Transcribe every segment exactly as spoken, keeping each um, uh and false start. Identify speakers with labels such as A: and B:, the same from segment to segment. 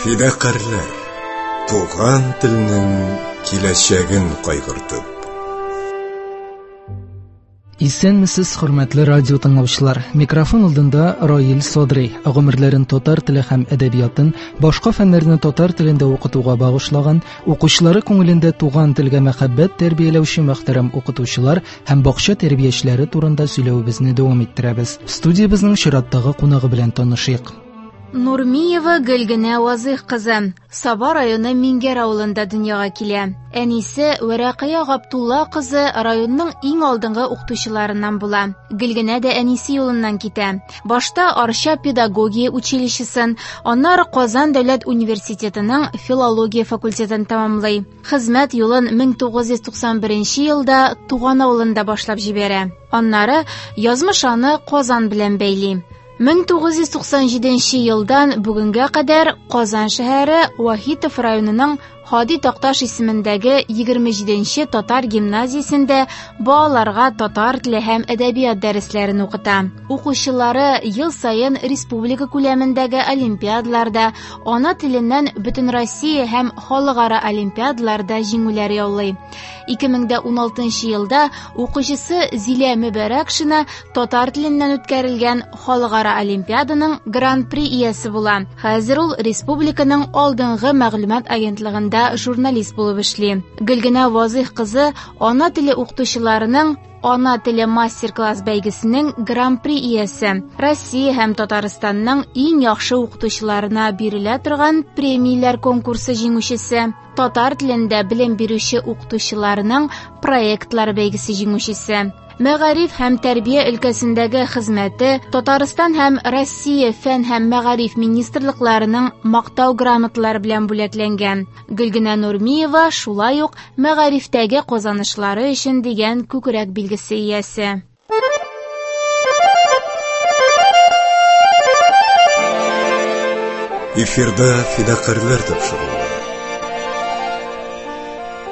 A: Фидакарьләр, туган телнең киләчәген кайгыртып.
B: Исәнмесез, хөрмәтле радио тыңлаучылар. Микрофон алдында Раил Садри. Гомерләрен татар теле һәм әдәбиятын, башка фәннәрне татар телендә укытуга багышлаган, укучылары күңелендә туган телгә мәхәббәт тәрбияләүче мөхтәрәм укытучылар һәм бакча тәрбиячеләре турында сөйләвебезне дәвам иттерәбез. Студиябезнең чираттагы кунагы белән танышыйк.
C: Нурмиева Гөлгенә Вазыйх кызы Саба районы Мингәр авылында дөньяга килә. Әнисе Вәрәкыя Габдулла кызы районның иң алдынгы укытучыларыннан була. Гөлгенә дә әнисе юлыннан китә. Башта Арча педагогия училищесын, аннары Казан дәүләт университетының филология факультетын тәмамлый. Хезмәт юлын мең тугыз йөз туксан беренче елда туган авылында башлап җибәрә. Аннары язмыш аны Казан белән бәйли. Мең тугыз йөз туксан җиденче елдан бүгенгә кадәр Казан шәһәре Вахитов районының Һади Такташ исемендәге егерме җиденче татар гимназиясендә балаларга татар теле һәм әдәбият дәресләрен укыта. Укучылары ел саен республика күләмендәге олимпиадаларда, ана теленнән Бөтенроссия һәм халыкара олимпиадаларда җиңүләр яулый. Ике мең дә уналтынчы елда укучысы Зилә Мөбәрәкшина татар теленнән үткәрелгән халыкара олимпиаданың гран-при иясе була. Хәзер ул республиканың алдынгы мәгълүмат агентлыгында журналист булып эшли. Гөлгенә Вазыйх кызы ана теле укытучыларының Ана теле мастер-класс бәйгесенең гран-при иясе. Россия һәм Татарстанның иң яхшы укытучыларына бирелә торган премияләр конкурсы җиңүчесе. Татар телендә белем бирүче укытучыларның проектлар бәйгесе җиңүчесе. Мәгариф һәм тәрбия өлкәсендәге хезмәте Татарстан һәм Россия фән һәм мәгариф министрлыкларының мактау грамоталары белән бүләкләнгән. Гөлгенә Нурмиева шулай ук мәгарифтәге казанышлары өчен дигән күкрәк билгесе иясе.
A: Эфирда фидакарьләр тапшыруы.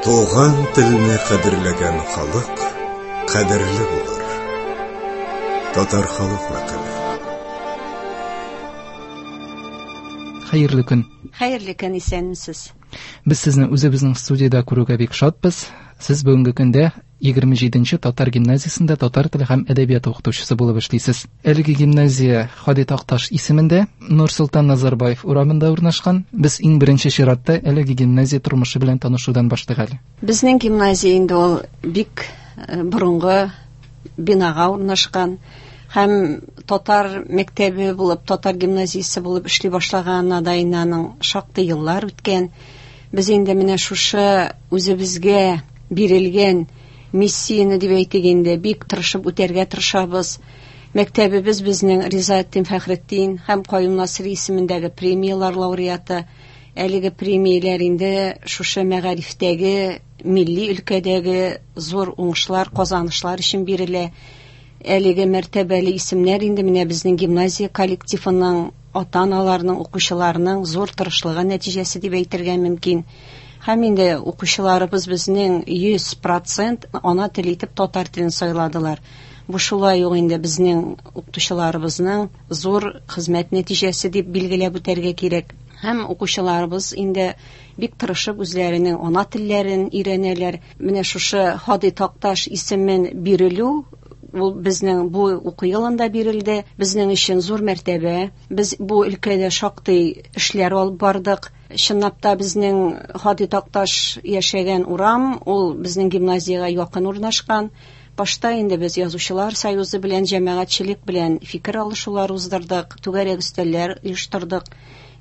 A: Туган телне кадерләгән халык кадерле булыр. Татар халык мәкале.
B: Хәерле көн.
D: Хәерле көн, исәнмесез.
B: Без сезне үзебезнең студиядә күрүгә бик шатбыз. Сез бүгенге көндә егерме җиденче татар гимназиясендә татар теле һәм әдәбияты укытучысы булып эшлисез. Әлеге гимназия Һади Такташ исемендә Нурсолтан Назарбаев урамында урнашкан. Без иң беренче чиратта әлеге гимназия тормышы белән танышудан башлыйк әле.
D: Безнең гимназия инде ул бик борынгы бинага урнашкан һәм татар мәктәбе булып, татар гимназиясе булып эшли башлаганына да инде аның шактый еллар үткән. Без инде менә шушы үзебезгә бирелгән миссияне дип әйтик инде бик тырышып үтәргә тырышабыз. Мәктәбебез безнең Ризаэддин Фәхретдин һәм Каюм Насыйри исемендәге премияләр лауреаты. Әлеге премияләр инде шушы мәгарифтәге, милли өлкәдәге зур уңышлар, казанышлар өчен бирелә. Әлеге мәртәбәле исемнәр инде менә безнең гимназия коллективының, ата-аналарның, укучыларның зур тырышлыгы нәтиҗәсе дип әйтергә мөмкин. Һәм инде укучыларыбыз безнең йөз процент ана теле итеп татар телен сайладылар. Бу шулай ук инде безнең укытучыларыбызның зур хезмәт нәтиҗәсе дип билгеләп үтәргә кирәк. Һәм укучыларыбыз инде бик тырышып үзләренең ана телләрен өйрәнәләр. Менә шушы Һади Такташ исемен бирелү ул безнең бу уку елында бирелде. Безнең өчен зур мәртәбә. Без бу өлкәдә шактый эшләр алып бардык. Чынлап та безнең Һади Такташ яшәгән урам, ул безнең гимназиягә якын урнашкан. Башта инде без Язучылар союзы белән, җәмәгатьчелек белән фикер алышулар уздырдык, түгәрәк өстәлләр оештырдык.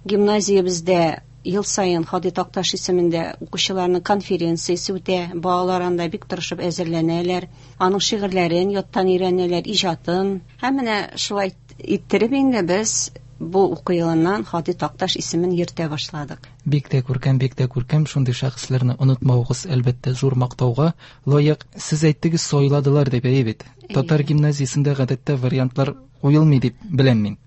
D: Гимназиябездә ел саен Һади Такташ исемендә укучыларның конференциясе үтә. Балалар анда бик тырышып әзерләнәләр, аның шигырьләрен яттан өйрәнәләр, иҗатын. Һәм менә шулай иттереп инде без бу уку елыннан Һади Такташ исемен йөртә башладык.
B: Бик тә күркәм, бик тә күркәм. Шундый шәхесләрне онытмавыгыз, әлбәттә, зур мактауга лаек. Сез әйттегез, сайладылар дип, әйе бит.
D: Әйе.
B: Татар гимназиясендә гадәттә вариантлар куелмый дип беләм мин.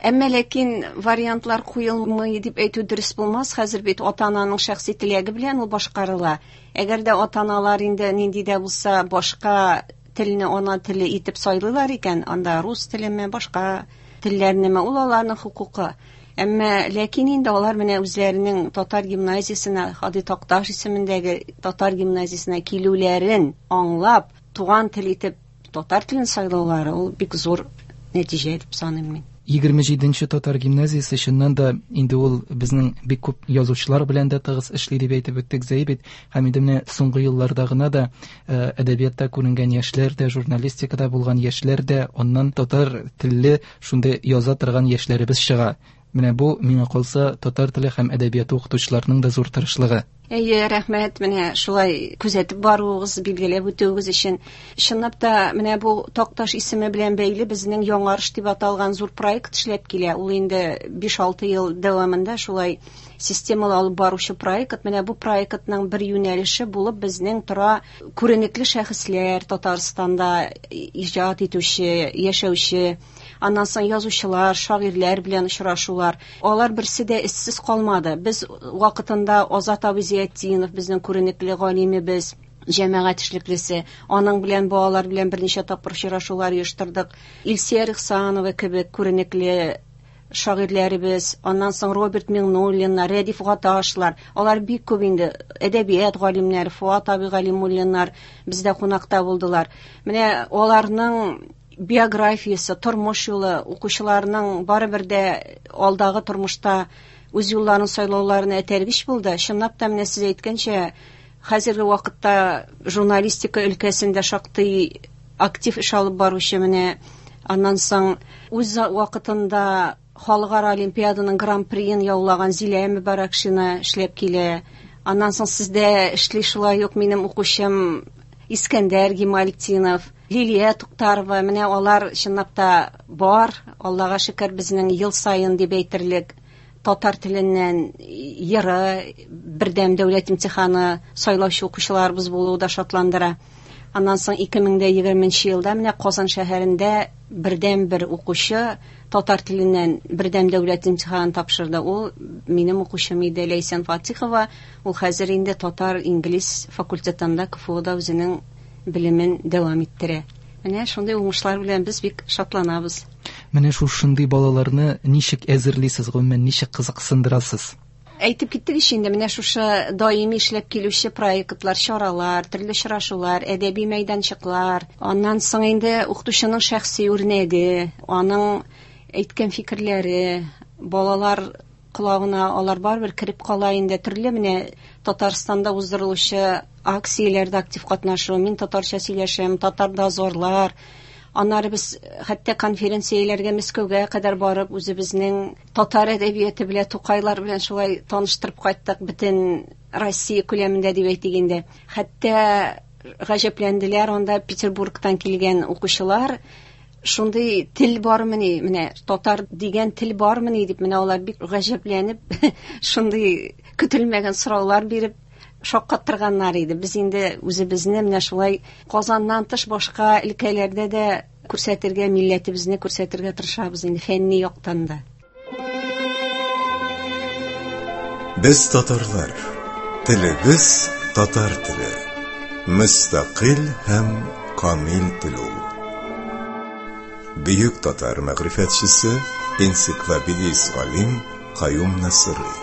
D: Әмма ләкин вариантлар куелмый дип әйтү дөрес булмас. Хәзер бит ата-ананың шәхси теләге белән ул башкарыла. Әгәр дә ата-аналар инде нинди дә булса башка телне ана теле итеп сайлыйлар икән, анда рус телеме, башка телләрнеме, ул аларның хокукы. Әмма ләкин инде алар менә үзләренең татар гимназиясенә, Һади Такташ исемендәге татар гимназиясенә килүләрен аңлап, туган тел итеп татар телен сайлаулары ул бик зур нәтиҗә дип саныйм мин.
B: Егерме җиденче татар гимназиясе чыннан да инде ул безнең бик күп язучылар белән дә тыгыз эшли дип әйтеп үттек Зәй бит. Һәм инде менә соңгы елларда гына да әдәбиятта күренгән яшьләр дә, журналистикада булган яшьләр дә, аннан татар телле шундый яза торган яшьләребез чыга. Менә бу, миңа калса, татар теле һәм әдәбияты укытучыларының да зур тырышлыгы.
D: Әйе, рәхмәт, менә шулай күзәтеп баруыгыз, билгеләп үтүегез өчен. Чынлап та, менә бу Такташ исеме белән бәйле безнең Яңарыш дип аталган зур проект эшләп килә. Ул инде биш-алты ел дәвамында шулай системалы алып баручы проект. Менә бу проектның бер юнәлеше булып безнең тора күренекле шәхесләр, Татарстанда иҗат итүче, яшәүче, аннан соң язучылар, шагыйрьләр белән очрашулар. Алар берсе дә эзсез калмады. Без вакытында Азат абый Зиятдинов, безнең күренекле галимебез, җәмәгать эшлеклесе, аның белән балалар белән берничә тапкыр очрашулар оештырдык. Илсөя Ихсанова кебек күренекле шагыйрьләребез, аннан соң Роберт Миңнуллиннар, Рәдиф Гаташлар, алар бик күп инде әдәбият галимнәре, Фуат абый Галимуллиннар бездә кунакта булдылар. Менә аларның биографиясе, тормыш юлы укучыларның барыбер дә алдагы тормышта үз юлларын сайлауларына этәргеч булды. Чынлап та менә сез әйткәнчә, хәзерге вакытта журналистика өлкәсендә шактый актив эш алып баручы, менә аннан соң үз вакытында халыкара олимпиаданың гран-приен яулаган Зилә Мөбарәкшина эшләп килә. Аннан соң сездә эшли шулай ук минем укучым Искәндәр Гималтдинов, Лилия Туктарова. Менә алар чынлап та бар. Аллага шөкер, безнең ел саен дип әйтерлек татар теленнән йыры, бердәм дәүләт имтиханы сайлаучы укучыларыбыз булуы да шатландыра. Аннан соң ике мең дә егерменче елда менә Казан шәһәрендә бердәм бер укучы татар теленнән бердәм дәүләт имтиханын тапшырды. Ул минем укучым иде, Ләйсән Фатихова. Ул хәзер инде татар-инглиз факультетында КФУда үзенең белемен дәвам иттерә. Менә шундый уңышлар белән без бик шатланабыз.
B: Менә шушындый балаларны ничек әзерлисез, гомумән ничек кызыксындырасыз?
D: Әйтеп киттек ич инде, менә шушы даими эшләп килүче проектлар, чаралар, төрле очрашулар, әдәби мәйданчыклар, аннан соң инде укытучының шәхси үрнәге, аның әйткән фикерләре, балалар колагына алар барыбер кереп кала инде. Төрле менә Татарстанда уздырылучы акцияләрдә актив катнашу, мин татарча сөйләшәм, татар дозорлар. Аннары без хәтта конференцияләргә Мәскәүгә кадәр барып, үзебезнең татар әдәбияты белән, Тукайлар белән шулай таныштырып кайттык бөтен Россия күләмендә дип әйтик инде. Хәтта гаҗәпләнделәр анда Петербургтан килгән укучылар, шундый тел бармыни, менә татар дигән тел бармыни дип, менә алар бик гаҗәпләнеп, шундый көтелмәгән сораулар биреп шаккаттырганнар иде. Без инде үзебезне менә шулай Казаннан тыш башка өлкәләрдә дә күрсәтергә, милләтебезне күрсәтергә тырышабыз инде фәнни яктан да.
A: Без татарлар, телебез татар теле, мөстәкыйль һәм камил тел ул. Бөек татар мәгърифәтчесе, энциклопедист галим Каюм Насыйри.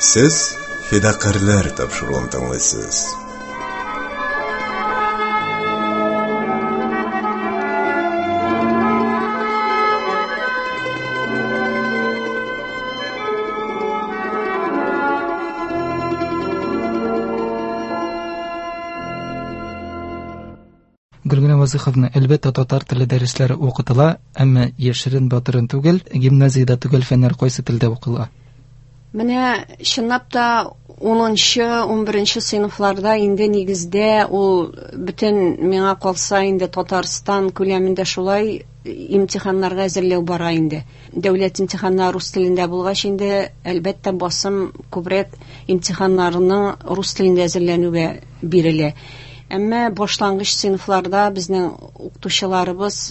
A: Сез Фидакарьләр тапшыруын тыңлыйсыз.
B: Гөлгенә Вазыйховна, әлбәттә, татар теле дәресләре укытыла, әмма яшерен батырын түгел, гимназиядә төгәл фәннәр кайсы телдә укыла?
D: Менә чынлап та унынчы, унберенче сыйныфларда инде нигездә ул бөтен, миңа калса инде Татарстан күләмендә шулай имтиханнарга әзерләү бара инде. Дәүләт имтиханнары рус телендә булгач инде, әлбәттә, басым күбрәк имтиханнарның рус телендә әзерләнүгә бирелә. Әмма башлангыч сыйныфларда безнең укытучыларыбыз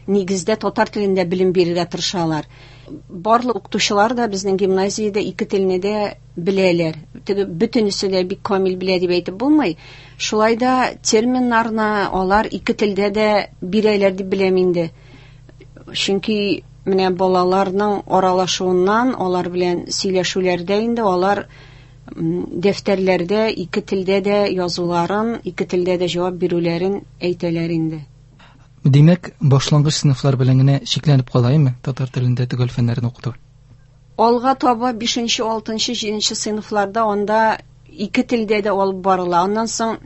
D: нигездә татар телендә белем бирергә тырышалар. Барлык укытучылар да безнең гимназиядә ике телне дә беләләр. Теге бөтенесе дә бик камил белә дип әйтеп булмый. Шулай да терминнарны алар ике телдә дә бирәләр дип беләм инде. Чөнки Менә балаларның аралашуыннан, алар белән сөйләшүләрдә инде алар дәфтәрләрдә ике телдә дә язуларын, ике телдә дә җавап бирүләрен әйтәләр инде.
B: Димәк, башлангыч сыйныфлар белән генә чикләнеп калаймы татар телендә төгәл фәннәрне укыту?
D: Алга таба бишенче, алтынчы, җиденче сыйныфларда анда ике телдә дә алып барыла. Аннан соң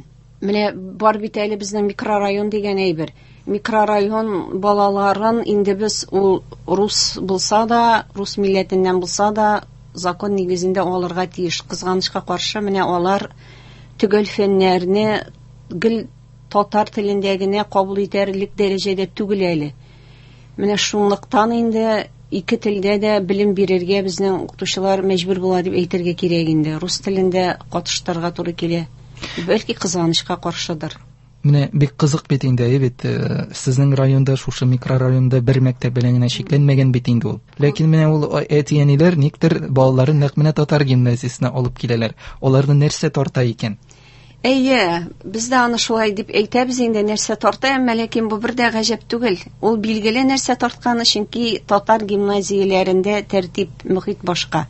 D: менә бар бит әле безнең микрорайон дигән әйбер. Микрорайон балаларын инде без ул рус булса да, рус милләтеннән булса да, закон нигезендә алырга тиеш. Кызганычка каршы, менә алар төгәл фәннәрне гел татар телендә генә кабул итәрлек дәрәҗәдә түгел әле. Менә шунлыктан инде ике телдә дә белем бирергә безнең укытучылар мәҗбүр була дип әйтергә кирәк инде. Рус телендә катыштырырга туры килә. Бәлки кызганычка каршыдыр.
B: Менә бик кызык бит инде, әйе бит, сезнең районда, шушы микрорайонда бер мәктәп белән генә чикләнмәгән бит инде ул. Ләкин менә ул әти-әниләр никтер балаларын нәкъ менә татар гимназиясенә алып киләләр. Аларны нәрсә тарта икән?
D: Әйе, без дә аны шулай дип әйтәбез инде, нәрсә тарта, әмма ләкин бу бер дә гаҗәп түгел. Ул билгеле нәрсә тартканы, чөнки татар гимназияләрендә тәртип, мөхит башка.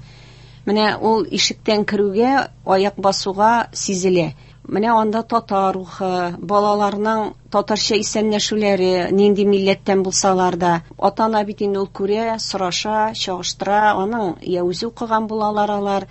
D: Менә ул ишектән керүгә, аяк басуга сизелә. Менә анда татар рухы, балаларның татарча исәнләшүләре, нинди милләттән булсалар да, ата-ана бит инде ул күрә, сораша, чагыштыра, аның я үзе укыган булалар алар,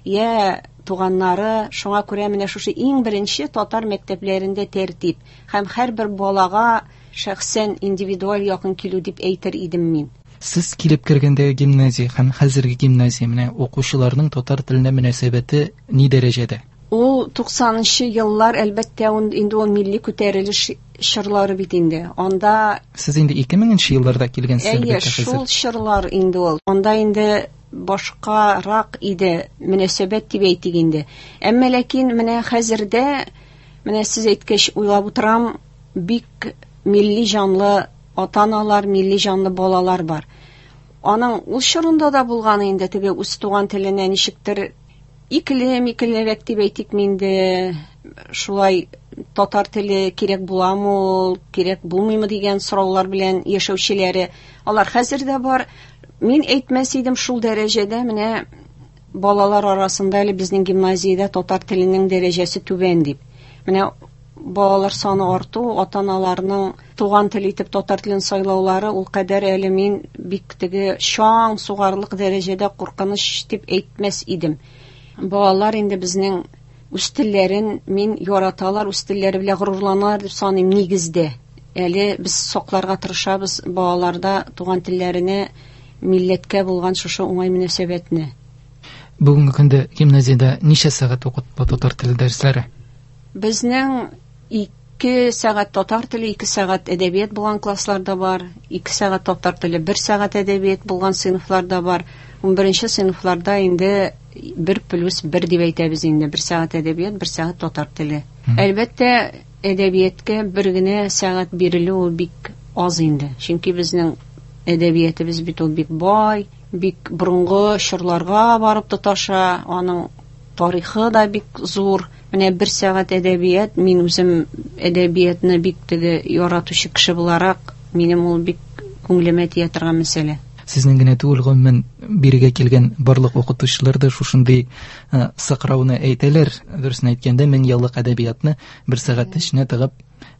D: я туганнары. Шуңа күрә менә шушы иң беренче татар мәктәпләрендә тәртип һәм һәрбер балага шәхсән индивидуаль якын килү дип әйтер идем мин.
B: Сез килеп кергәндә гимназия һәм хәзерге гимназия менә укучыларның татар теленә мөнәсәбәте ни дәрәҗәдә?
D: Ул туксанынчы еллар, әлбәттә, инде ул милли күтәрелеш чорлары бит инде. Анда
B: Сез инде ике меңенче елларда килгәнсез,
D: әлбәттә,
B: хәзер.
D: Шул чорлар инде ул. Анда инде башкарак иде мөнәсәбәт дип әйтик инде. Әмма ләкин менә хәзердә, менә сез әйткәч уйлап утырам, бик милли җанлы ата-аналар, милли җанлы балалар бар. Аның ул чорында да булган инде теге үз туган теленә ничектер икеле-микелерәк дип әйтик инде, шулай татар теле кирәк буламы ул, кирәк булмыймы дигән сораулар белән яшәүчеләре, алар хәзер дә бар. Мин әйтмәс идем шул дәрәҗәдә, менә балалар арасында әле безнең гимназиядә татар теленең дәрәҗәсе түбән дип. Менә балалар саны арту, ата-аналарның туган тел итеп татар телен сайлаулары ул кадәр әле мин бик теге чаң сугарлык дәрәҗәдә куркыныч дип әйтмәс идем. Балалар инде безнең үз телләрен мин яраталар, үз телләре белән горурланалар дип саныйм нигездә. Әле без сакларга тырышабыз балаларда туган телләренә, милләткә булган шушы уңай мөнәсәбәтне.
B: Бүгенге көндә гимназиядә ничә сәгать укытыла татар теле дәресләре?
D: Безнең ике сәгать татар теле, ике сәгать әдәбият булган классларда бар, ике сәгать татар теле, бер сәгать әдәбият булган сыйныфларда бар. Унберенче сыйныфларда инде бер плюс бер дип әйтәбез инде, бер сәгать әдәбият, бер сәгать татар теле. Әлбәттә, әдәбиятка бер генә сәгать бирелү ул бик аз инде. Чөнки безнең әдәбиятыбыз бит ул бик бай, бик борынгы чорларга барып тоташа, аның тарихы да бик зур. Менә бер сәгать әдәбият, мин үзем әдәбиятны бик теге яратучы кеше буларак, минем ул бик күңелемә тия торган мәсьәлә.
B: Сезнең генә түгел, гомумән бирегә килгән барлык укытучылар да шушындый сыкрауны әйтәләр. Дөресен әйткәндә, мең еллык әдәбиятны бер сәгать эченә тыгып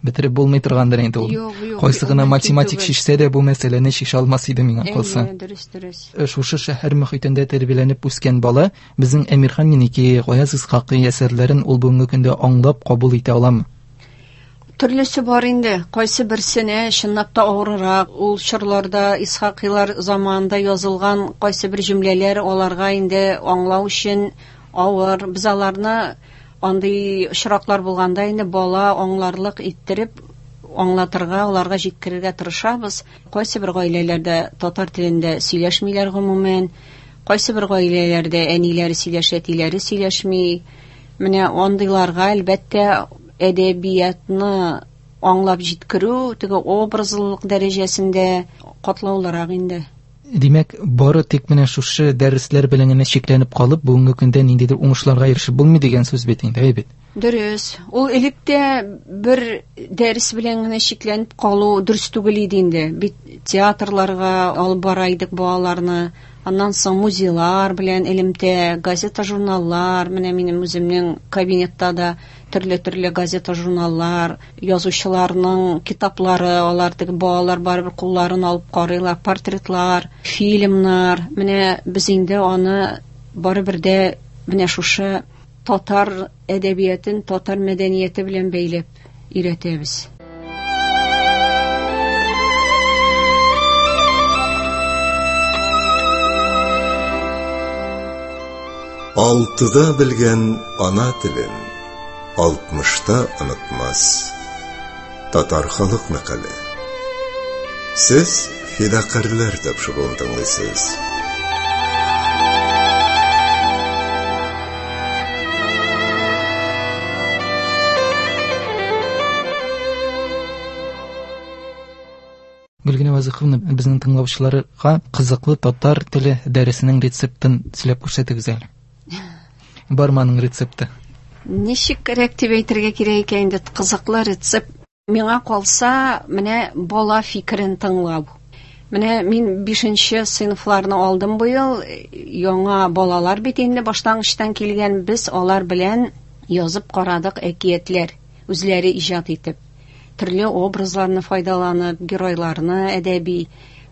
B: бетереп булмый торгандыр инде ул. Кайсы гына математик чишсә дә бу мәсьәләне чишә алмас иде миңа калса.
D: Дөрес, дөрес.
B: Шушы шәһәр мөхитендә тәрбияләнеп үскән бала безнең Әмирхан Еники, Гаяз Исхакый әсәрләрен ул бүгенге көндә аңлап кабул итә аламы?
D: Төрлесе бар инде. Кайсы берсенә чынлап та авыррак. Ул чорларда Исхакыйлар заманында язылган кайсы бер җөмләләр аларга инде аңлау өчен авыр. Без аларны андый очраклар булганда инде бала аңларлык иттереп аңлатырга, аларга җиткерергә тырышабыз. Кайсы бер гаиләләрдә татар телендә сөйләшмиләр гомумән, кайсы бер гаиләләрдә әниләре сөйләшә, әтиләре сөйләшми. Менә андыйларга әлбәттә әдәбиятны аңлап җиткерү теге образлылык дәрәҗәсендә катлаулырак инде.
B: Димәк, бары тик менә шушы дәресләр белән генә чикләнеп калып, бүгенге көндә ниндидер уңышларга ирешеп булмый дигән сүз бит инде, әй бит.
D: Дөрес. Ул элек тә бер дәрес белән генә чикләнеп калу дөрес түгел иде инде. Бит театрларга алып бара идек балаларны. Аннан соң музейлар белән элемтә, газета-журналлар, менә минем үземнең кабинетта да төрле-төрле газета-журналлар, язучыларның китаплары, алар теге балалар барыбер кулларын алып карыйлар, портретлар, фильмнар. Менә без инде аны барыбер дә менә шушы татар әдәбиятын, татар мәдәнияте белән бәйләп өйрәтәбез.
A: Алтыда белгән ана телен алтмышта онытмас. Татар халык мәкале. Сез Фидакарьләр тапшыруын тыңлыйсыз.
B: Гөлгенә Вазыйховна, безнең тыңлаучыларга кызыклы татар теле дәресенең рецептын сөйләп күрсәтегез әле. Бармы аның рецепты?
D: Ничек кирәк дип әйтергә кирәк икән инде, кызыклы рецепт. Миңа калса, менә бала фикерен тыңлау. Менә мин бишенче сыйныфларны алдым быел, яңа балалар бит инде башлангычтан килгән, без алар белән язып карадык әкиятләр, үзләре иҗат итеп, төрле образларны файдаланып, геройларны әдәби.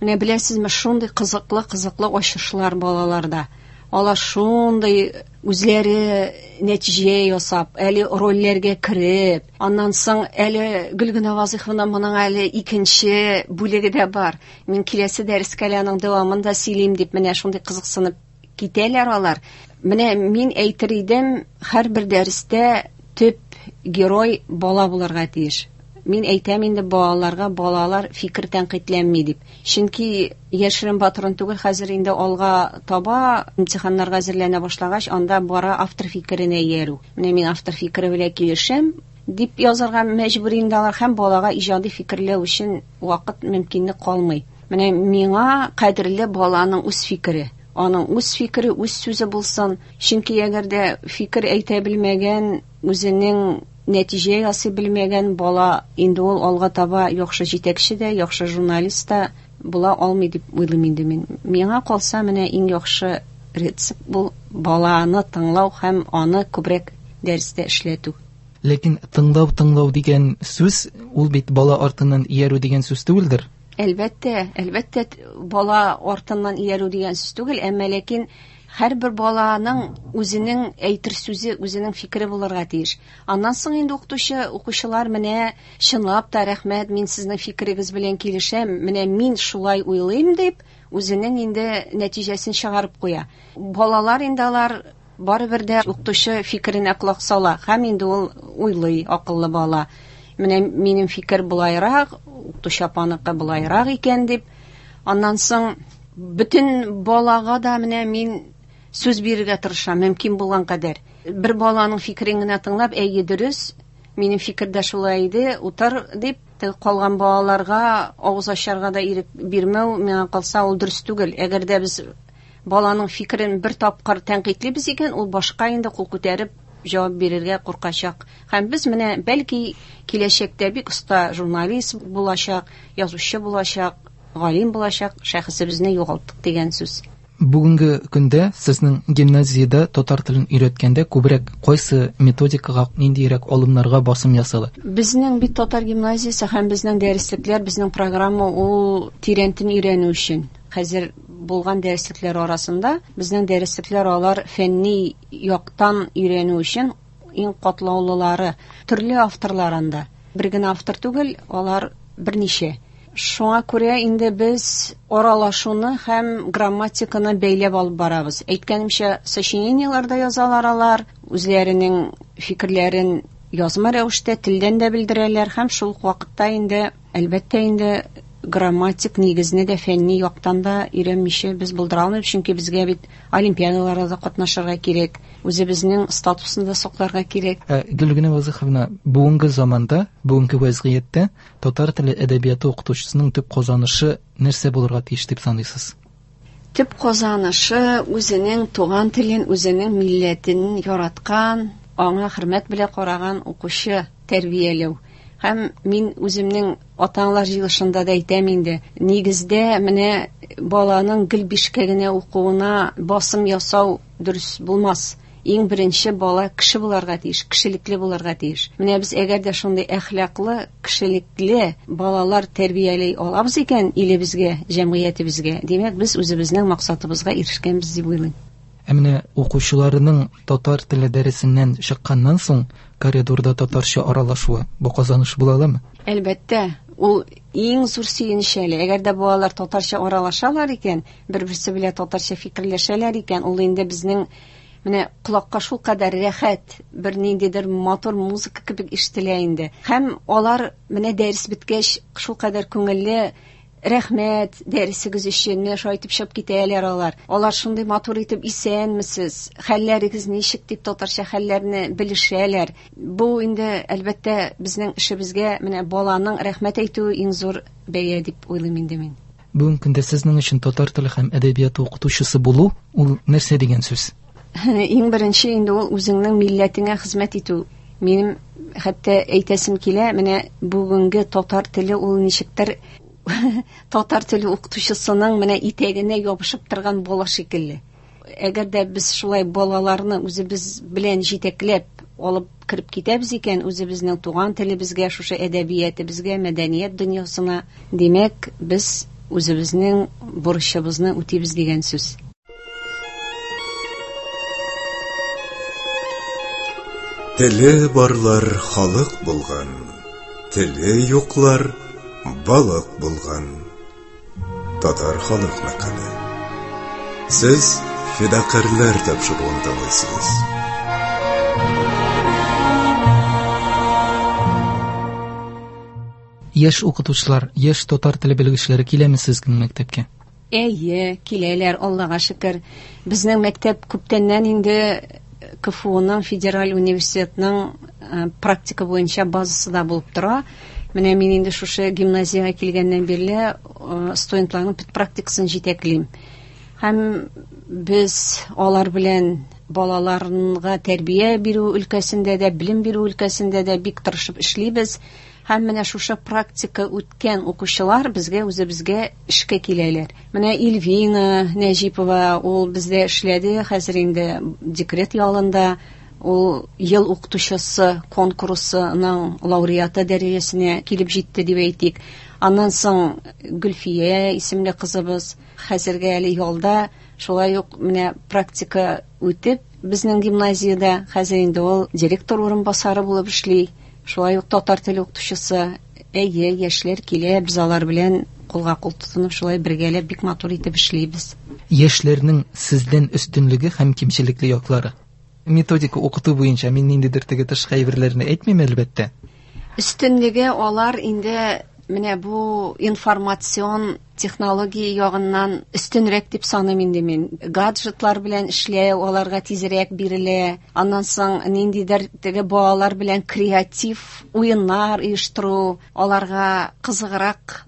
D: Менә беләсезме, шундый кызыклы-кызыклы ачышлар балаларда. Алар шундый үзләре нәтиҗә ясап, әле рольләргә кереп, аннан соң әле Гөлгенә Вазыйховна моның әле икенче бүлеге дә бар. Мин киләсе дәрескә әле аның дәвамын да сөйлим дип, менә шундый кызыксынып китәләр алар. Менә мин әйтер идем, һәрбер дәрестә төп герой бала булырга тиеш. Мин әйтәм инде балаларга, балалар фикер тәнкыйтьләнми дип. Чөнки яшерен батырын түгел, хәзер инде алга таба имтиханнарга әзерләнә башлагач, анда бара автор фикеренә иярү. Менә мин автор фикере белән килешәм дип язарга мәҗбүр инде алар, һәм балага иҗади фикерләү өчен вакыт мөмкинлек калмый. Менә миңа кадерле баланың үз фикере. Аның үз фикере, үз сүзе булсын. Чөнки әгәр дә фикер әйтә белмәгән, үзенең нәтиҗә ясый белмәгән бала инде ул алга таба яхшы җитәкче дә, яхшы журналист та була алмый дип уйлыйм инде мин. Миңа калса, менә иң яхшы рецепт бу баланы тыңлау һәм аны күбрәк дәрестә эшләтү.
B: Ләкин тыңлау, тыңлау дигән сүз ул бит бала артыннан иярү дигән сүз түгелдер.
D: Әлбәттә, әлбәттә, бала артыннан иярү дигән сүз түгел, әмма ләкин һәрбер баланың үзенең әйтер сүзе, үзенең фикере булырга тиеш. Аннан соң инде укытучы, укучылар менә чынлап та рәхмәт, мин сезнең фикерегез белән килешәм, менә мин шулай уйлыйм дип, үзенең инде нәтиҗәсен чыгарып куя. Балалар инде алар барыбер дә укытучы фикеренә колак сала һәм инде ул уйлый, акыллы бала. Менә минем фикер булайрак, укытучы апаныкы булайрак икән дип. Аннан соң бөтен балага да менә мин сүз бирергә тырышам, мөмкин булган кадәр. Бер баланың фикерен генә тыңлап, әйе, дөрес, минем фикер дә шулай иде, утыр дип, калган балаларга авыз ачарга да ирек бирмәү, миңа калса, ул дөрес түгел. Әгәр дә без баланың фикерен бер тапкыр тәнкыйтьлибез икән, ул башка инде кул күтәреп җавап бирергә куркачак. Һәм без менә бәлки киләчәктә бик оста журналист булачак, язучы булачак, галим булачак шәхесебезне югалттык дигән сүз.
B: Бүгенге көндә сезнең гимназиядә татар телен өйрәткәндә күбрәк кайсы методикага, ниндирәк алымнарга басым ясала?
D: Безнең бит татар гимназиясе һәм безнең дәреслекләр, безнең программа ул тирәнтен өйрәнү өчен. Хәзер булган дәреслекләр арасында безнең дәреслекләр алар фәнни яктан өйрәнү өчен иң катлаулылары, төрле авторлар анда. Бер генә автор түгел, алар берничә. Шуңа күрә инде без аралашуны һәм грамматиканы бәйләп алып барабыз. Әйткәнемчә, сочинениеләр дә язалар алар, үзләренең фикерләрен язма рәвештә телдән дә белдерәләр һәм шул ук вакытта инде, әлбәттә инде, грамматик нигезне дә фәнни яктан да өйрәнмичә без булдыра алмыйбыз, чөнки безгә бит олимпиадаларда да катнашырга кирәк, үзебезнең статусын да сакларга кирәк.
B: Ә, Гөлгенә Вазыйховна, бүгенге заманда, бүгенге вазгыятьтә татар теле әдәбияты укытучысының төп казанышы нәрсә булырга тиеш дип саныйсыз?
D: Төп казанышы үзенең туган телен, үзенең милләтен яраткан, аңа хөрмәт белән караган укучы тәрбияләү. Һәм мин үземнең ата-аналар җыелышында да әйтәм инде, нигездә менә баланың гел бишкә генә укуына басым ясау дөрес булмас. Иң беренче бала кеше буларга тиеш, кешелекле буларга тиеш. Менә без әгәр дә шундый әхлаклы, кешелекле балалар тәрбияли алабыз икән илебезгә, җәмгыятебезгә, димәк, без үзебезнең максатыбызга ирешкәнбез дип уйлыйм.
B: Ә менә укучыларының татар теле дәресеннән чыкканнан соң коридорда татарча аралашуы бу казаныш була аламы?
D: Әлбәттә, ул иң зур сөенеч әле. Әгәр дә балалар татарча аралашалар икән, бер-берсе белән татарча фикерләшәләр икән, ул инде безнең менә колакка шул кадәр рәхәт, бер ниндидер матур музыка кебек ишетелә инде. Һәм алар менә дәрес беткәч шул кадәр күңелле, рәхмәт дәресегез өчен, менә шулай итеп чыгып китәләр алар. Алар шундый матур итеп исәнмесез, хәлләрегез ничек дип татарча хәлләрне белешәләр. Бу инде әлбәттә безнең эшебезгә менә баланың рәхмәт әйтүе иң зур бәя дип уйлыйм инде мин.
B: Бүгенге көндә сезнең өчен татар теле һәм әдәбияты укытучысы булу ул нәрсә дигән сүз?
D: Иң беренче инде ул үзеңнең милләтеңә хезмәт итү. Минем хәтта әйтәсем килә, менә бүгенге татар теле ул ничектер татар теле укытучысының менә итәгенә ябышып торган бала шикелле. Әгәр дә без шулай балаларны үзебез белән җитәкләп алып кереп китәбез икән, үзебезнең туган телебезгә, шушы әдәбиятыбызга, мәдәният дөньясына, димәк, без үзебезнең бурычыбызны үтибез дигән сүз.
A: Теле барлар халык булган, теле юклар балык булган. Татар халык мәкале. Сез фидакарьләр тапшыруын тыңлыйсыз.
B: Яшь укытучылар, яшь татар теле белгечләре киләме сезнең мәктәпкә?
D: Әйе, киләләр, Аллага шөкер. Безнең мәктәп күптәннән инде КФУның Федераль университетның практика буенча базасы да булып тора. Менә мин инде шушы гимназиягә килгәннән бирле студентларның практикасын җитәклим. Һәм без алар белән балаларга тәрбия бирү өлкәсендә дә, белем бирү өлкәсендә дә бик тырышып эшлибез. Һәм менә шушы практика үткән укучылар безгә үзебезгә эшкә киләләр. Менә Эльвина Нәҗипова, ул бездә эшләде, хәзер инде декрет ялында. Ул ел укытучысы конкурсының лауреаты дәрәҗәсенә килеп җитте дип әйтик. Аннан соң Гөлфия исемле кызыбыз хәзергә әле ялда, шулай ук менә практика үтеп безнең гимназиядә хәзер инде ул директор урынбасары булып эшли. Шулай ук татар теле укытучысы. Әйе, яшьләр килә, без алар белән кулга кул тотынып шулай бергәләп бик матур итеп эшлибез.
B: Яшьләрнең сездән өстенлеге һәм кимчелекле яклары. Методика укыту буенча мин ниндидер теге тышкы әйберләрне әйтмим әлбәттә.
D: Өстенлеге алар инде менә бу информацион технология ягыннан өстенрәк дип саныйм инде мин. Гаджетлар белән эшләү аларга тизрәк бирелә. Аннан соң ниндидер теге балалар белән креатив уеннар оештыру аларга кызыграк.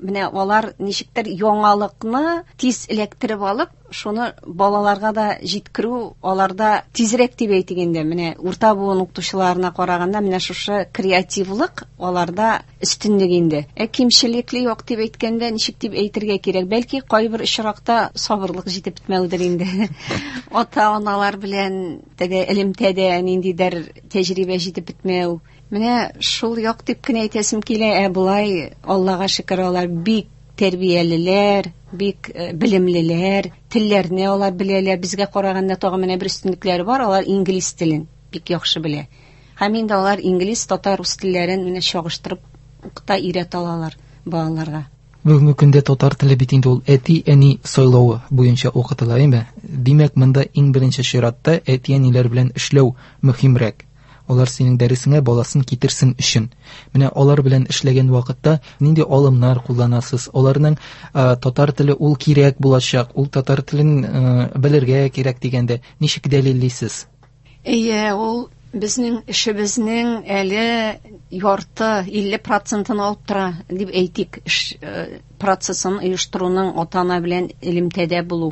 D: Менә алар ничектер яңалыкны тиз эләктереп алып, шуны балаларга да җиткерү аларда тизрәк дип әйтик инде. Менә урта буын укытучыларына караганда менә шушы креативлык аларда өстенлек инде. Ә кимчелекле юк дип әйткәндә ничек дип әйтергә кирәк? Бәлки кайбер очракта сабырлык җитеп бетмәүдер инде. Ата-аналар белән теге элемтәдә ниндидер тәҗрибә җитеп бетмәү. Менә шул як дип кенә әйтәсем килә. Ә болай Аллага шөкер, алар бик тәрбиялеләр, бик белемлеләр, телләрне алар беләләр. Безгә караганда тагы менә бер өстенлекләре бар, алар инглиз телен бик яхшы белә. Һәм инде алар инглиз, татар, рус телләрен менә чагыштырып укыта, өйрәтә алалар балаларга.
B: Бүгенге көндә татар теле бит инде ул әти-әни сайлавы буенча укытыла, әйме? Димәк, монда иң беренче чиратта әти-әниләр белән эшләү мөһимрәк. Алар синең дәресеңә баласын китерсен өчен. Менә алар белән эшләгән вакытта нинди алымнар кулланасыз? Аларның татар теле ул кирәк булачак, ул татар телен белергә кирәк дигәндә ничек дәлиллисез?
D: Әйе, ул Безнең эшебезнең әле ярты, илле процентын алып тора дип әйтик, эш процессын оештыруның ата-ана белән элемтәдә булу.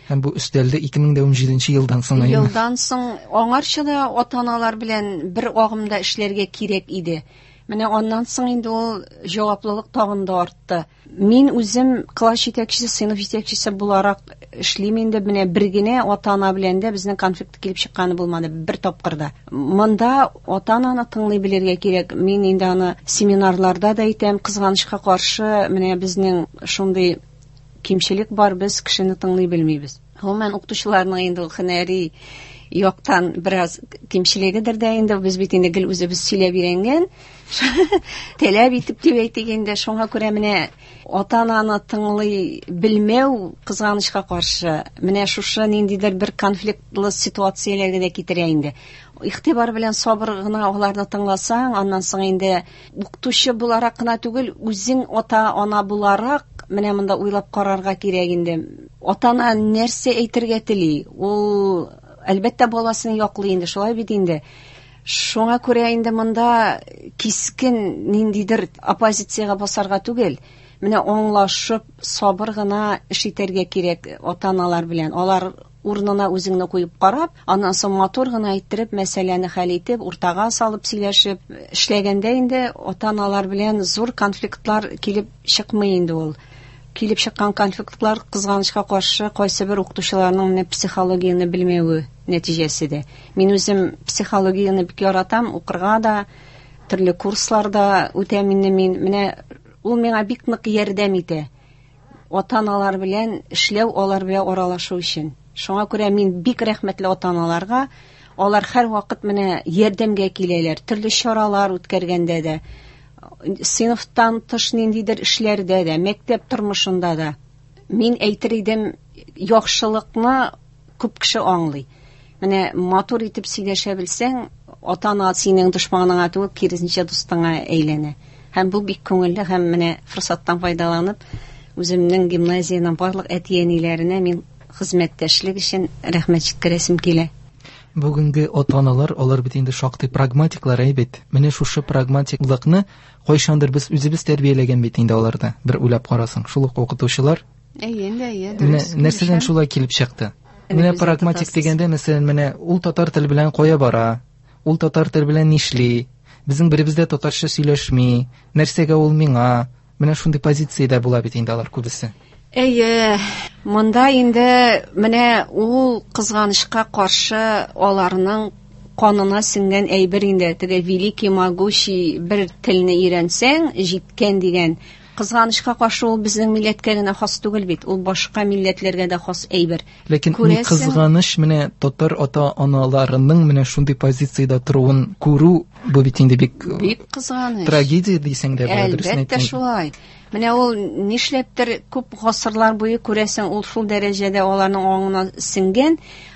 B: Һәм бу өстәлде ике мең дә унҗиденче елдан соң.
D: Елдан соң аңарчы да ата-аналар белән бер агымда эшләргә кирәк иде. Менә аннан соң инде ул җаваплылык тагын да артты. Мин үзем класс җитәкчесе, сыйныф җитәкчесе буларак эшлим инде. Менә бер генә ата-ана белән дә безнең конфликт килеп чыкканы булмады бер тапкыр да. Монда ата-ананы тыңлый белергә кирәк. Мин инде аны семинарларда да әйтәм, кызганычка каршы менә безнең шундый кимчелек бар, без кешене тыңлый белмибез. Гомумән укытучыларның инде ул һөнәри яктан бераз кимчелегедер дә инде, без бит инде гел үзебез сөйләп өйрәнгән, таләп итеп дип әйтик инде. Шуңа күрә менә ата-ананы тыңлый белмәү кызганычка каршы менә шушы ниндидер бер конфликтлы ситуацияләргә дә китерә инде. Игътибар белән сабыр гына аларны тыңласаң, аннан соң инде укытучы буларак кына түгел, үзең ата-ана буларак менә монда уйлап карарга кирәк инде. Ата-ана нәрсә әйтергә тели? Ул әлбәттә баласын яклый инде, шулай бит инде. Шуңа күрә инде монда кискен ниндидер оппозициягә басарга түгел, менә аңлашып, сабыр гына эш итәргә кирәк ата-аналар белән. Алар урынына үзеңне куеп карап, аннан соң матур гына әйттереп, мәсьәләне хәл итеп, уртага салып сөйләшеп эшләгәндә инде ата-аналар белән зур конфликтлар килеп чыкмый инде ул. Килеп чыккан конфликтлар кызганычка каршы кайсы бер укытучыларның менә психологияне белмәве нәтиҗәсе дә. Мин үзем психологияне бик яратам, укырга да, төрле курсларда үтәм инде мин. Менә ул миңа бик нык ярдәм итә. Ата-аналар белән эшләү, алар белән аралашу өчен. Шуңа күрә мин бик рәхмәтле ата-аналарга. Алар һәрвакыт менә ярдәмгә киләләр, төрле чаралар үткәргәндә дә, сыйныфтан тыш ниндидер эшләрдә дә, мәктәп тормышында да. Мин әйтер идем, яхшылыкны күп кеше аңлый. Менә матур итеп сөйләшә белсәң, ата-ана синең дошманыңа түгел, киресенчә дустыңа әйләнә. Һәм бу бик күңелле, һәм менә форсаттан файдаланып, үземнең гимназиянең барлык әти-әниләренә мин хезмәттәшлек өчен рәхмәт җиткерәсем килә.
B: Бүгенге ата-аналар, алар бит инде шактый прагматиклар, әй бит. Менә шушы прагматиклыкны кайчандыр без үзебез тәрбияләгән бит инде аларда. Бер уйлап карасаң, шул ук укытучылар.
D: Әйе, инде, әйе, дөрес.
B: Менә нәрсәдән шулай килеп чыкты? Менә прагматик дигәндә, мәсәлән, менә ул татар теле белән кая бара? Ул татар теле белән нишли? Безнең беребез дә татарча сөйләшми. Нәрсәгә ул миңа? Менә шундый позициядә була бит инде алар күбесе.
D: Әйе, монда инде менә ул кызганычка каршы аларның канына сеңгән әйбер инде. Теге великий могущий бер телне өйрәнсәң, җиткән дигән. Кызганычка каршы ул безнең милләткә генә хас түгел бит, ул башка милләтләргә дә хас әйбер.
B: Ләкин ни кызганыч, менә татар ата-аналарының менә шундый позициядә торуын күрү, бу бит инде бик
D: бик кызганыч.
B: Трагедия дисәң дә була, дөресен
D: әйтсәң. Әлбәттә шулай. Менә ул нишләптер күп гасырлар буе күрәсең, ул шул дәрәҗәдә аларның аңына сеңгән.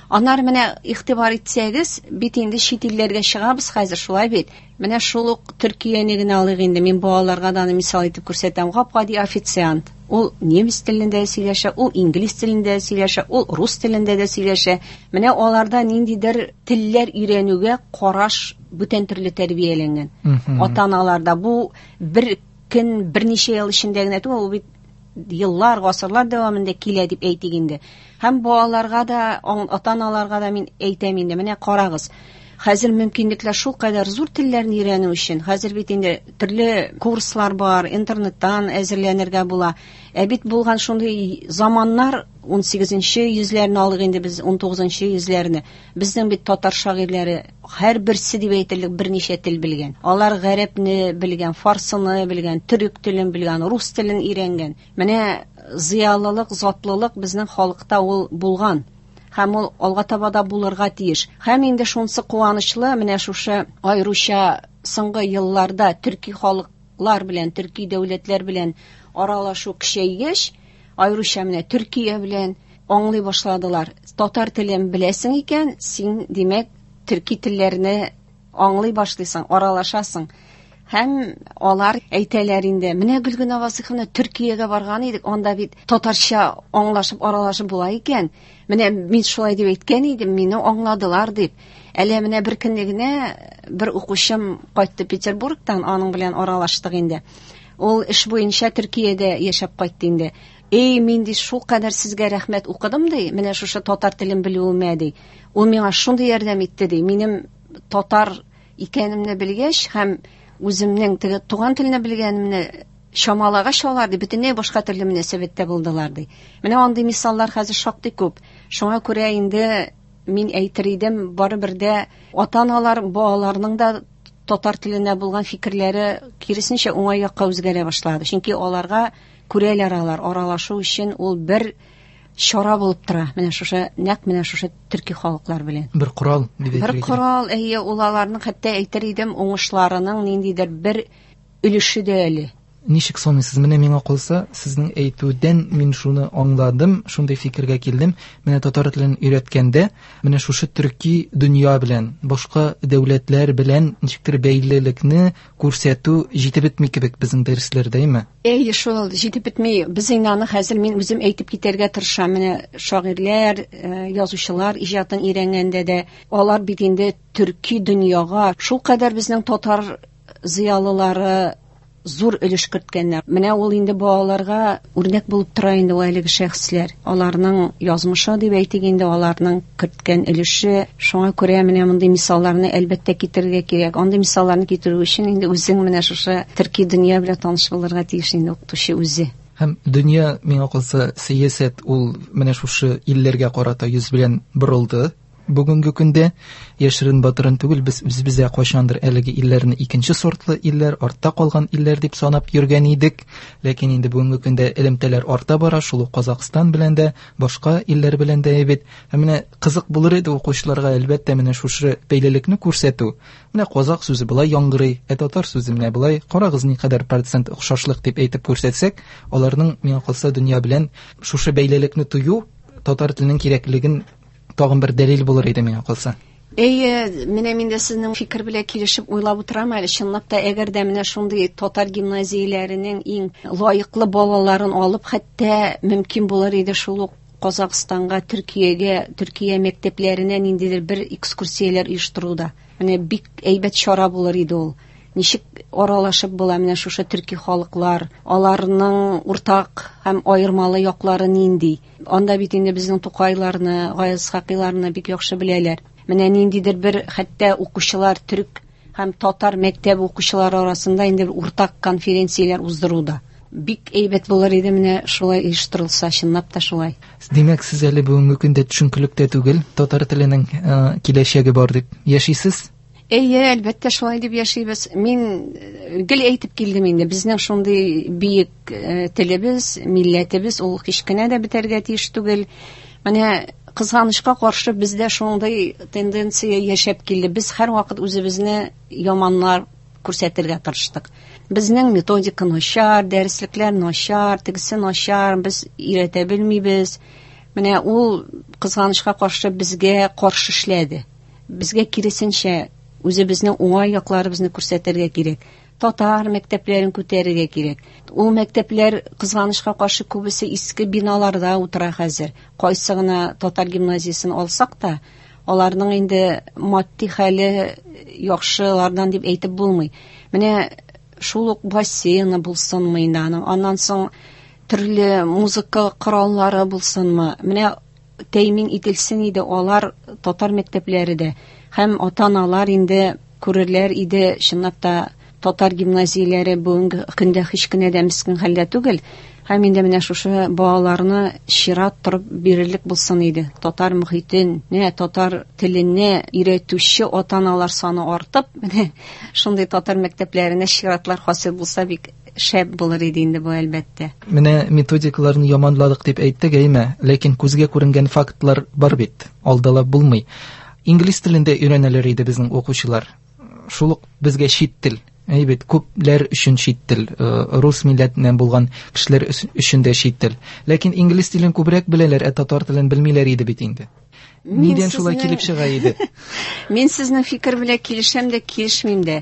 D: Анар менә игътибар итсәгез, бит инде чит илләргә чыгабыз хәзер, шулай бит. Менә шул ук Төркияне генә алыйк инде. Мин балаларга да аны мисал итеп күрсәтәм. Гап-гади официант. Ул немец телендә сөйләшә, ул инглиз телендә сөйләшә, ул рус телендә дә сөйләшә. Менә аларда ниндидер телләр өйрәнүгә караш бүтән төрле тәрбияләнгән. Ата-аналарда бу бер көн, берничә ел эчендә генә түгел, ул бит еллар, гасырлар дәвамында килә дип әйтик инде. Һәм балаларга да, ата-аналарга да мин әйтәм инде, менә карагыз. Хәзер мөмкинлекләр шул кадәр зур телләрне өйрәнү өчен. Хәзер бит инде төрле курслар бар, интернеттан әзерләнергә була. Ә бит булган шундый заманнар, ун сигезенче йөзләрне алыйк инде без, ун тугызынчы йөзләрне. Безнең бит татар шагыйрьләре һәрберсе дип әйтерлек берничә тел белгән. Алар гарәпне белгән, фарсыны белгән, төрек телен белгән, рус телен өйрәнгән. Менә зыялылык, затлылык безнең халыкта ул булган. Һәм ул алга таба да булырга тиеш. Һәм инде шунсы куанычлы, менә шушы аеруча соңгы елларда төрки халыклар белән, төрки дәүләтләр белән аралашу көчәйгәч, аеруча менә Төркия белән аңлый башладылар. Татар телен беләсең икән, син, димәк, төрки телләрне аңлый башлыйсың, аралашасың. Һәм алар әйтәләр инде, менә Гөлгенә Васыйховна Төркиягә барган идек, анда бит татарча аңлашып, аралашып була икән. Менә мин шулай дип әйткән идем, мине аңладылар дип. Әле менә бер көнне генә бер укучым кайтты Петербургтан, аның белән аралаштык инде. Ул эш буенча Төркиядә яшәп кайтты инде. Эй, мин ди шул кадәр сезгә рәхмәт укыдым ди, менә шушы татар телен белүемә ди. Ул миңа шундый ярдәм итте ди. Минем татар икәнемне белгәч һәм үземнең теге туган телне белгәнемне чамалагач алар ди, бөтенләй башка төрле мөнәсәбәттә булдылар ди. Менә андый мисаллар хәзер шактый күп. Шуңа күрә инде мин әйтер идем, барыбер дә ата-аналар балаларның да татар теленә булган фикерләре киресенчә уңай якка үзгәрә башлады. Чөнки аларга күрәләр алар, аралашу өчен ул бер чара булып тора. Менә шушы, нәкъ менә шушы төрки халыклар белән.
B: Бер корал дип
D: Бер
B: әйтергә кирәк.
D: корал, әйе, ул аларның хәтта әйтер идем, уңышларының ниндидер бер өлеше дә әле.
B: Ничек саныйсыз? Менә миңа калса, сезнең әйтүдән мин шуны аңладым, шундый фикергә килдем. Менә татар телен өйрәткәндә, менә шушы төрки дөнья белән, башка дәүләтләр белән ничектер бәйлелекне күрсәтү җитеп бетми кебек безнең дәресләрдә, әйме?
D: Әйе, шул җитеп бетми. Без инде аны хәзер мин үзем әйтеп китәргә тырышам. Менә шагыйрьләр, э, язучылар иҗатын өйрәнгәндә дә алар бит инде төрки дөньяга шул кадәр безнең татар зыялылары зур өлеш керткәннәр. Менә ул инде балаларга үрнәк булып тора инде ул әлеге шәхесләр. Аларның язмышы дип әйтик инде, аларның керткән өлеше. Шуңа күрә менә мондый мисалларны әлбәттә китерергә кирәк. Андый мисалларны китерү өчен инде үзең менә шушы төрки дөнья белән таныш булырга тиеш инде укытучы үзе.
B: Һәм дөнья, миңа калса, сәясәт ул менә шушы илләргә карата йөз белән борылды. Бүгенге көндә яшерен батырын түгел, без үзебездә кайчандыр әлеге илләрне икенче сортлы илләр, артта калган илләр дип санап йөргән идек. Ләкин инде бүгенге көндә элемтәләр арта бара, шул ук Казахстан белән дә, башка илләр белән дә бит. Һәм менә кызык булыр иде укучыларга әлбәттә менә шушы бәйлелекне күрсәтү. Менә казак сүзе болай яңгырый, ә татар сүзе менә болай. Карагыз, никадәр процент охшашлык дип әйтеп күрсәтсәк, аларның миңа калса дөнья белән шушы бәйлелекне тою татар теленең кирәклеген тагын бер дәлил булыр иде миңа калса.
D: Әйе, менә мин дә сезнең фикер белән килешеп уйлап утырам әле. Чынлап та, әгәр дә менә шундый татар гимназияләренең иң лаеклы балаларын алып, хәтта мөмкин булыр иде шул ук Казахстанга, Төркиягә, Төркия мәктәпләренә ниндидер бер экскурсияләр оештыруда. Менә бик әйбәт чара булыр иде ул. Ничек аралашып була менә шушы төрки халыклар, аларның уртак һәм аермалы яклары нинди? Анда бит инде безнең Тукайларны, Гаяз Исхакыйларны бик яхшы беләләр. Менә ниндидер бер хәтта укучылар төрк һәм татар мәктәбе укучылары арасында инде бер уртак конференцияләр уздыруда. Бик әйбәт булыр иде менә шулай оештырылса, чынлап та шулай.
B: Димәк, сез әле бүгенге көндә төшенкелектә түгел, татар теленең, э, киләчәге бар дип яшисез?
D: Әйе, әлбәттә шулай дип яшибез. Мин, э, гел әйтеп килдем инде, безнең шундый бөек, э, телебез, милләтебез ул һич кенә дә бетәргә тиеш түгел. Менә кызганычка каршы бездә шундый тенденция яшәп килде. Без һәрвакыт үзебезне яманнар күрсәтергә тырыштык. Безнең методика начар, дәреслекләр начар, тегесе начар, без өйрәтә белмибез. Менә ул кызганычка каршы безгә каршы эшләде. Безгә киресенчә үзебезнең уңай якларыбызны күрсәтергә кирәк. Татар мәктәпләрен күтәрергә кирәк. Ул мәктәпләр кызганычка каршы күбесе иске биналарда утыра хәзер. Кайсы гына татар гимназиясен алсак та, аларның инде матди хәле яхшылардан дип әйтеп булмый. Менә шул ук бассейны булсынмы инде аның, аннан соң төрле музыка кораллары булсынмы? Менә тәэмин ителсен иде алар татар мәктәпләре дә. Һәм ата-аналар инде күрерләр иде, чынлап та татар гимназияләре бүгенге көндә һич кенә дә мескен хәлдә түгел. Һәм инде менә шушы балаларны чират торып бирерлек булсын иде. Татар мөхитен, не татар телене өйрәтүче ата-аналар саны артып, менә шундый татар мәктәпләренә чиратлар хасил булса бик шәп булыр иде инде бу әлбәттә.
B: Менә методикаларны яманладык дип әйттек, әйме? Ләкин күзгә күренгән фактлар бар бит, алдалап булмый. Инглиз телендә өйрәнәләр иде безнең укучылар. Шул ук безгә чит тел. Әй бит, күпләр өчен чит тел, э, рус милләтеннән булган кешеләр өс-, өчен дә чит тел. Ләкин инглиз телен күбрәк беләләр, ә татар телен белмиләр иде бит инде.
D: Мин
B: Нидән шулай
D: сезне
B: килеп чыга иде?
D: Мин сезнең фикер белән килешәм дә, килешмим дә.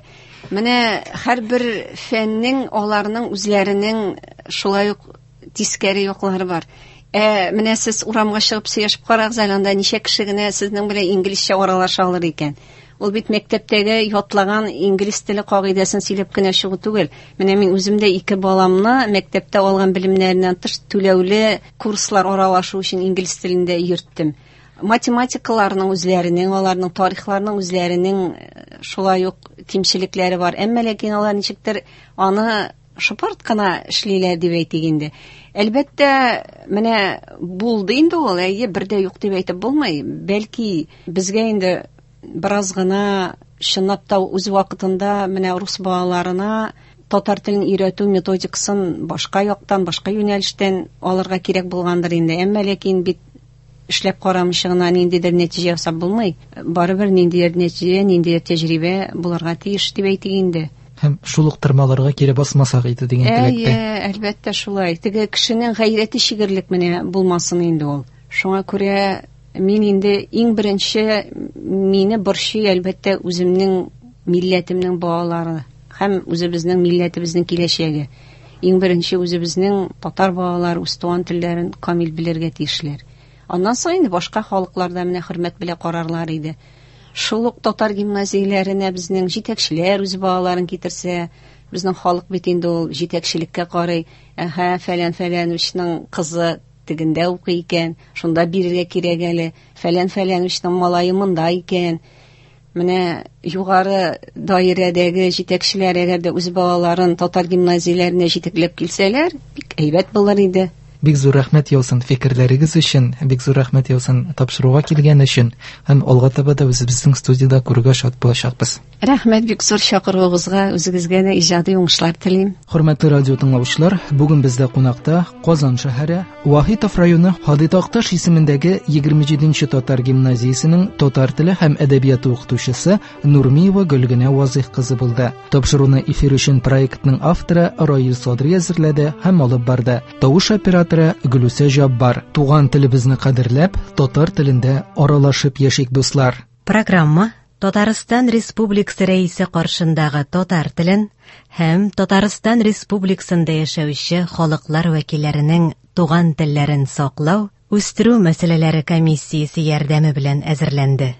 D: Менә һәрбер фәннең аларның үзләренең шулай ук тискәре яклары бар. Ә менә сез урамга чыгып сөйләшеп карагыз әле, анда ничә кеше генә сезнең белән инглизчә аралаша алыр икән. Ул бит мәктәптәге ятлаган инглиз теле кагыйдәсен сөйләп кенә чыгу түгел. Менә мин үзем дә ике баламны мәктәптә алган белемнәреннән тыш түләүле курслар аралашу өчен инглиз телендә йөрттем. Математикаларның үзләренең, аларның тарихларының үзләренең шулай ук кимчелекләре бар. Әмма ләкин алар ничектер аны шыпырт кына эшлиләр дип әйтик инде. Әлбәттә, менә булды инде ул, әйе, бер дә юк дип әйтеп булмый. Бәлки безгә инде бераз гына чынлап та үз вакытында менә рус балаларына татар телен өйрәтү методикасын башка яктан, башка юнәлештән алырга кирәк булгандыр инде. Әмма ләкин бит эшләп карамыйча гына ниндидер нәтиҗә ясап булмый. Барыбер ниндидер нәтиҗә, ниндидер тәҗрибә булырга тиеш дип әйтик инде.
B: Һәм шул ук тырмаларга кире басмасак иде дигән теләктә.
D: Әйе, әлбәттә шулай. Теге кешенең гайрәте чигерлек менә булмасын инде ул. Шуңа күрә мин инде иң беренче мине борчый әлбәттә үземнең милләтемнең балалары һәм үзебезнең милләтебезнең киләчәге. Иң беренче үзебезнең татар балалары үз туган телләрен камил белергә тиешләр. Аннан соң инде башка халыкларда менә хөрмәт белән карарлар иде. Шул ук татар гимназияләренә безнең җитәкчеләр үз балаларын китерсә, безнең халык бит инде ул җитәкчелеккә карый. Әһә, фәлән фәләнвичның кызы тегендә укый икән, шунда бирергә кирәк әле. Фәлән фәләнвичның малае монда икән. Менә югары даирәдәге җитәкчеләр әгәр дә үз балаларын татар гимназияләренә җитәкләп килсәләр, бик әйбәт булыр иде.
B: Бик зур рәхмәт яусын фикерләрегез өчен, бик зур рәхмәт яусын тапшыруга килгән өчен һәм алга таба да үзебезнең студиядә күрергә шат булачакбыз.
D: Рәхмәт бик зур чакыруыгызга, үзегезгә дә иҗади уңышлар телим.
B: Хөрмәтле радио тыңлаучылар, бүген бездә кунакта Казан шәһәре Вахитов районы Һади Такташ исемендәге егерме җиденче татар гимназиясенең татар теле һәм әдәбияты укытучысы Нурмиева Гөлгенә Вазыйх кызы булды. Тапшыруны эфир өчен проектның авторы Раил Садри әзерләде һәм алып барды. Тавыш операторы Гөлүсә Җаббар. Туган телебезне кадерләп, татар телендә аралашып яшик, дуслар.
E: Программа Татарстан Республикасы Рәисе каршындагы татар телен һәм Татарстан Республикасында яшәүче халыклар вәкилләренең туган телләрен саклау, үстерү мәсьәләләре комиссиясе ярдәме белән әзерләнде.